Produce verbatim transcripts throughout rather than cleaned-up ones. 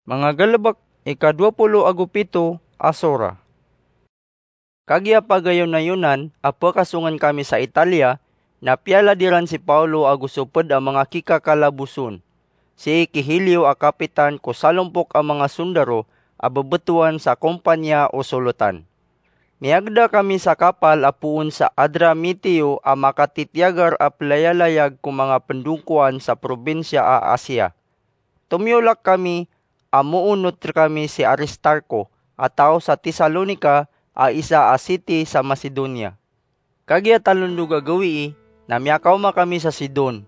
Manga galebek, ika dowa polo ago pito a sora. Kagiya pagayonayonan a pekasongen kami sa Italia, na piyalad iran si Paolo ago so ped a manga kikakalaboson, sii ki Julio a kapitan ko salompok a manga sondaro a bebetowan sa kompaniya o solotan. Miyagda kami sa kapal a poon sa Adramitio a makatitiyagar a pelayalayag ko manga pendongkowan sa probinsiya a Asia. Tomiyolak kami a moonot rekami si Aristarko a taw sa Tesalonica a isa a siti sa Macedonia. Kagiya talondog a gawii, na miyakaoma kami sa Sidon.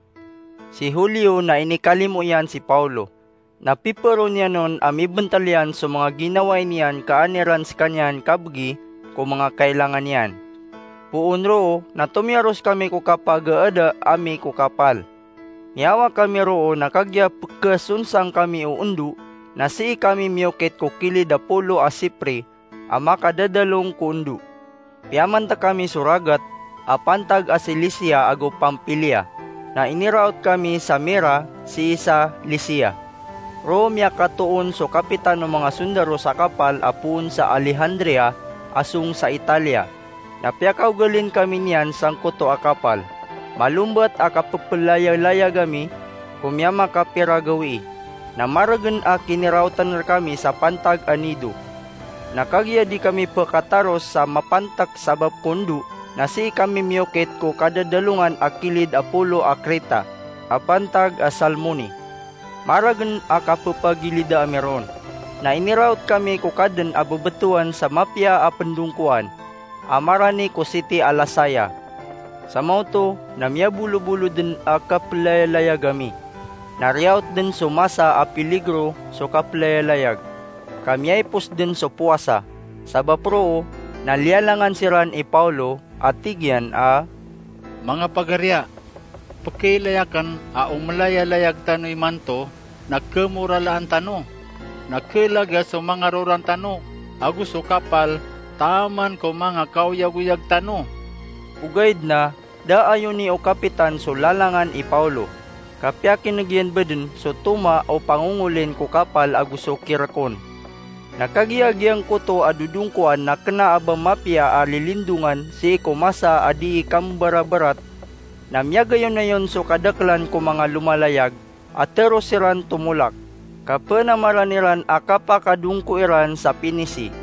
Si Julio na inikalimo iyan si Paolo. Na piperon iyan on a mibentel iyan so manga ginawai niyan ka an iran sekaniyan kabegi ko manga kailangan iyan. Poon roo, na tomiyaros kami ko kapagaada ami ko kapal. Miyawa kami roo na kagiya pekesonsang kami o ondo, na sii kami miyokit ko kilid a polo a sipre a makadadalong ko ondo. Piyamantek kami so ragat a pantag a Cilicia ago Pamphylia, na iniraot kami sa Mira sii sa Licia. Roo miyakatoon so kapitan o manga sondaro sa kapal a poon sa Alejandria a song sa Italia. Na piyakaogalin kami niyan sangkoto a kapal. Malombat a kapepelayalayag ami ko miyamakapira gawii, na maregen a kiniraotan rekami sa pantag a Nido. Na kagiya di kami pekataros sa mapantek sabap ko ondo, na sii kami miyokit ko kadadalongan a kilid a polo a Kreta a pantag a Salmone. Maregen a kapepagilida ami ron. Na iniraot kami ko kaden a bebetowan sa mapiya a pendongkowan a marani ko siti a Lasaya. Samaoto na miyabolobolo den a kapelayalayag ami. Na riyaot den so masa a piligro so kapelayalayag, ka miyaipos den so powasa. Sabap roo na liyalangan siran i Paolo a tig iyan a, "Manga pagariya, pekeilay aken a o melayalayag tano imanto na kemoralaan tano, na kelaga so manga roran tano ago so kapal taman ko manga kaoyagoyag tano." Ogaid na da ayoni o kapitan so lalangan i Paolo, ka piyakineg iyan beden so toma o pangongolin ko kapal ago so kirekon. Na kagiya giyangkoto a dodongkowan na kena a ba mapiya a lilindongan sii ko masa a dii kambarabarat, na miyagayonayon so kadakelan ko manga lomalayag a teros iran tomolak, ka penamaran iran a kapakadongko iran sa Pinisi.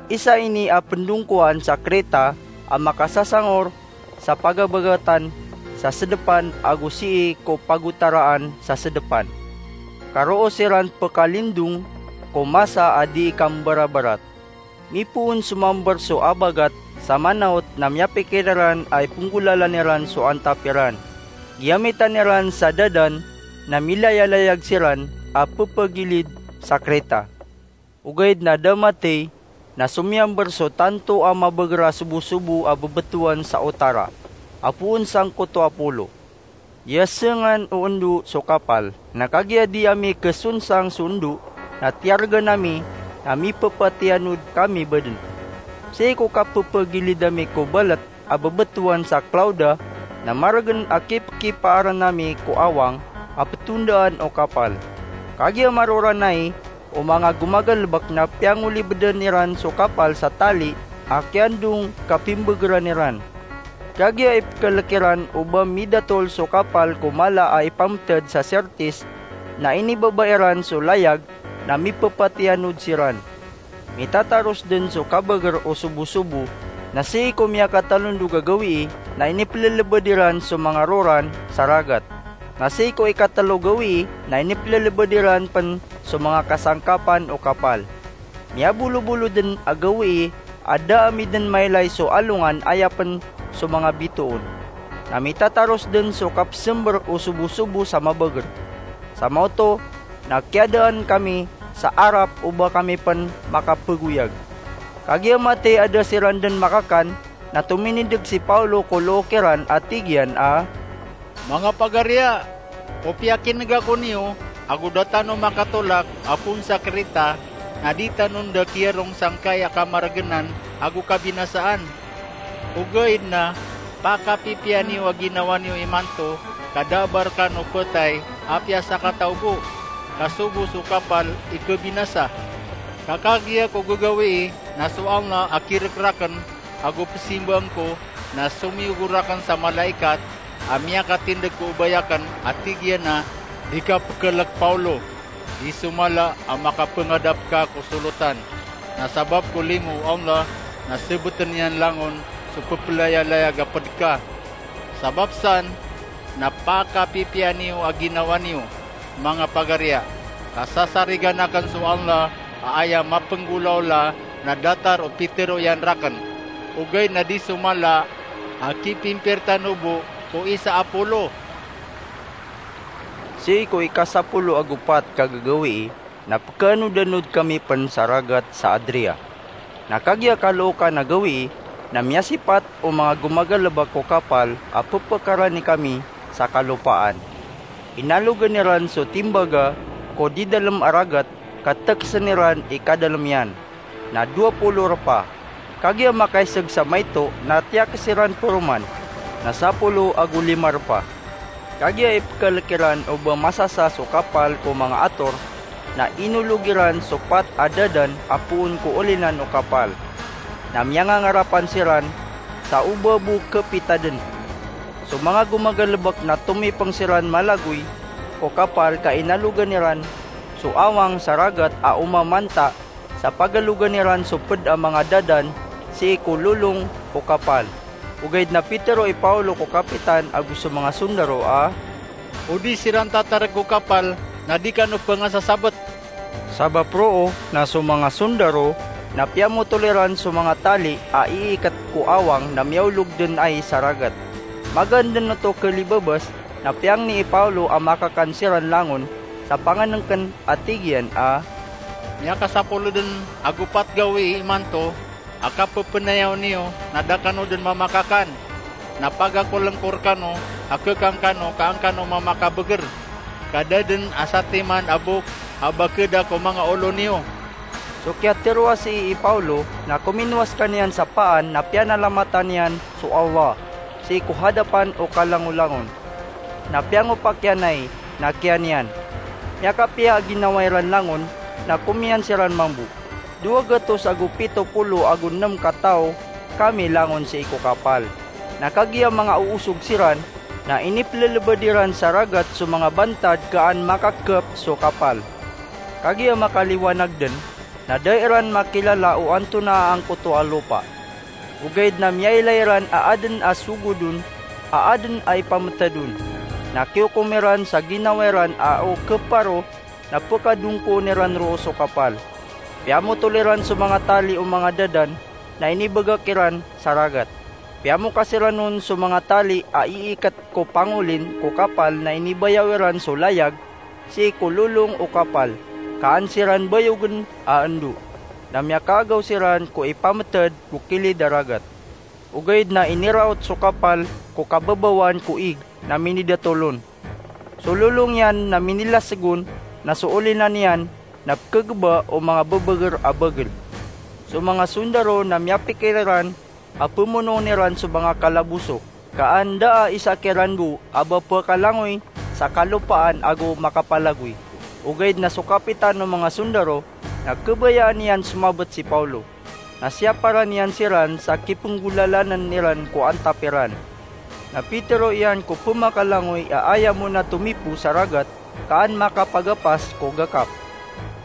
Isa ini a pendongkowan sa Kreta a makasasangor sa pagabagatan sa sedepan ago sii ko pagotaraan sa sedepan. Ka roo siran pekalindong ko masa a dii kambarabarat. Mipoon somamber so abagat sa manaot na miyapikir iran a ipenggolalan iran so antap iran. Giyamitan iran sa dadan na milayalayag siran a pepegilid sa Kreta. Ogaid na da matey na somiyamber so tanto a mabeger a sobosobo a bebetowan sa otara, a poon sangkoto a polo. Giyasengan o ondo so kapal, na kagiya di ami kesonsang so ondo, na tiyargan ami na mipepatiyanod kami beden. Sii ko kapepegilid ami ko balet a bebetowan sa Klauda, na maregen a kipkipaaren ami ko awang a petondaan o kapal. Kagiya maroran ai, o manga gomagalebek na piyangolibeden iran so kapal sa tali a kiyandong ka pimbegeran iran. Kagiya ipekelek iran o ba midatol so kapal ko mala a ipameted sa Syrtis, na inibaba iran so layag na mipepatiyanod siran. Mitataros den so kabeger o sobosobo, na sii ko miyakatalondog a gawii na inipelelebed iran so manga roran sa ragat. Na sii ko ikatelo gawii na inipelelebed iran pen so manga kasangkapan o kapal. Miyabolobolo den a gawii a da ami den mailay so alongan aya pen so manga bitoon. Na mitataros den so kapesember o sobosobo sa mabeger. Samaoto na kiyadaan kami sa arap o ba kami pen makapegoyag. Kagiya matey a da siran den makakan, na tominindeg si Paulo ko look iran a tig iyan a, "Manga pagariya, o piyakineg ako niyo, ago da tano makatolak a poon sa Kreta, na di tano nda kiyarong sangkai a kamaregenan ago kabinasaan. Ogaid na pakapipiya niyo a ginawa niyo imanto, ka da a ba rekan o petay a piyasakataw bo." ka sogo so kapal i kabinasa. Ka kagiya ko gagawii na so Allah a kirekraken ago pesimbaan ko na somiyogo raken sa malaikat a miyakatindeg ko obay aken a tig iyan a, "Di ka pekelek, Paulo. Di so mala a makapengadap ka ko solotan, na sabap ko limo o Allah na sebeten iyan langon so pepelayalayag a ped ka. Sabap san na pakapipiya niyo a ginawa niyo, manga pagariya, ka sasarigan aken so Allah a aya mapenggolaola na datar o pitero iyan raken, ogaid na di so mala a kipimpirtano bo ko isa a polo." Sii ko ikasapolo ago pat ka gagawii, na pekaanodanod kami pen sa ragat sa Adria. Na kagiya kalookan a gawii, na miyasipat o manga gomagalebek ko kapal a pepekarani kami sa kalopaan. Inalogen iran so timbaga ko didalem a ragat ka tekesen iran i kadalem iyan, na dowa polo repa. Kagiya makaiseg sa maito na tiyakes iran peroman, na sapolo ago lima repa. Kagiya ipekelek iran o ba masasa so kapal ko manga ator, na inolog iran so pat a dadan a poon ko olinan o kapal. Na miyangangarapan siran sa o ba bo kepitaden. So manga gomagalebek na tomipeng siran malagoy ko kapal ka inalogen iran so awang sa ragat a omamanta sa pagalogan iran so ped a manga dadan sii ko lolong o kapal. Ogaid na pitero i Paulo ko kapitan ago so manga sondaro a, "O di siran tatareg ko kapal na di kano pengasasabet." Sabap roo na so manga sondaro na piyamotol iran so manga tali a iiket ko awang na miyaolog den ai sa ragat. Magaan den oto kelibabas na piyangni i Paulo a makakan siran langon sa pangenengken a tig iyan a, "Miyakasapolo den ago pat gawii imanto a kapepenayaw niyo na da kano den mamakakan. Na pagakolengko rekano a kekan kano ka an kano mamakabeger, ka da den a satiman a bok a bakeda ko manga olo niyo." So kiyatero a sii i Paulo na kominowa sekaniyan sa paan na piyanalamatan iyan so Allah sii ko hadapan o kalangolangon. Na piyangopak iyan ai, na kiyan iyan. Miyakapiya a ginawa iran langon, na komiyan siran mambo. Dowa gatos ago pito polo ago nem ka taw kami langon sii ko kapal. Na kagiya manga oosog siran, na inipelelebed iran sa ragat so manga bantad ka an makakep so kapal. Kagiya makaliwanag den, na da iran makilala o antonaa angkoto a lopa. Ogaid na miyailay ran a aden a sogodon, a aden a ipametedon. Na kiyokom iran sa ginawa iran a o keparo na pekadongkoon iran roo so kapal. Piyamotol iran so manga tali o manga dadan na inibegak iran sa ragat. Piyamokas iran on so manga tali a iiket ko pangolin ko kapal na inibayaw iran so layag sii ko lolong o kapal, ka an siran bayogen a endo, na miyakaagaw siran ko ipameted ko kilid a ragat. Ogaid na iniraot so kapal ko kababawan ko ig na minidatol on. So lolong iyan na minilaseg on, na so olinan iyan na pekegeba o manga bebeger a bagel. So manga sondaro na miyapikir iran a pemonoon iran so manga kalaboso, ka an da a isa kiran bo a ba pekalangoy sa kalopaan ago makapalagoy. Ogaid na so kapitan o manga sondaro na kebayaan iyan somabet si Paulo. Na siyaparan iyan siran sa kipenggolalanen iran ko antap iran. Na pitero iyan ko pemakalangoy a aya mona tomipo sa ragat ka an makapagapas ko gakap.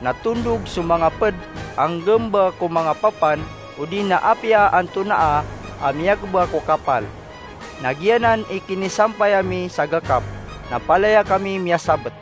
Na tondog so manga ped a nggamba ko manga papan odi na apiya antonaa a miyageba ko kapal. Na giyanan i kinisampay ami sa gakap, na palaya kami miyasabet.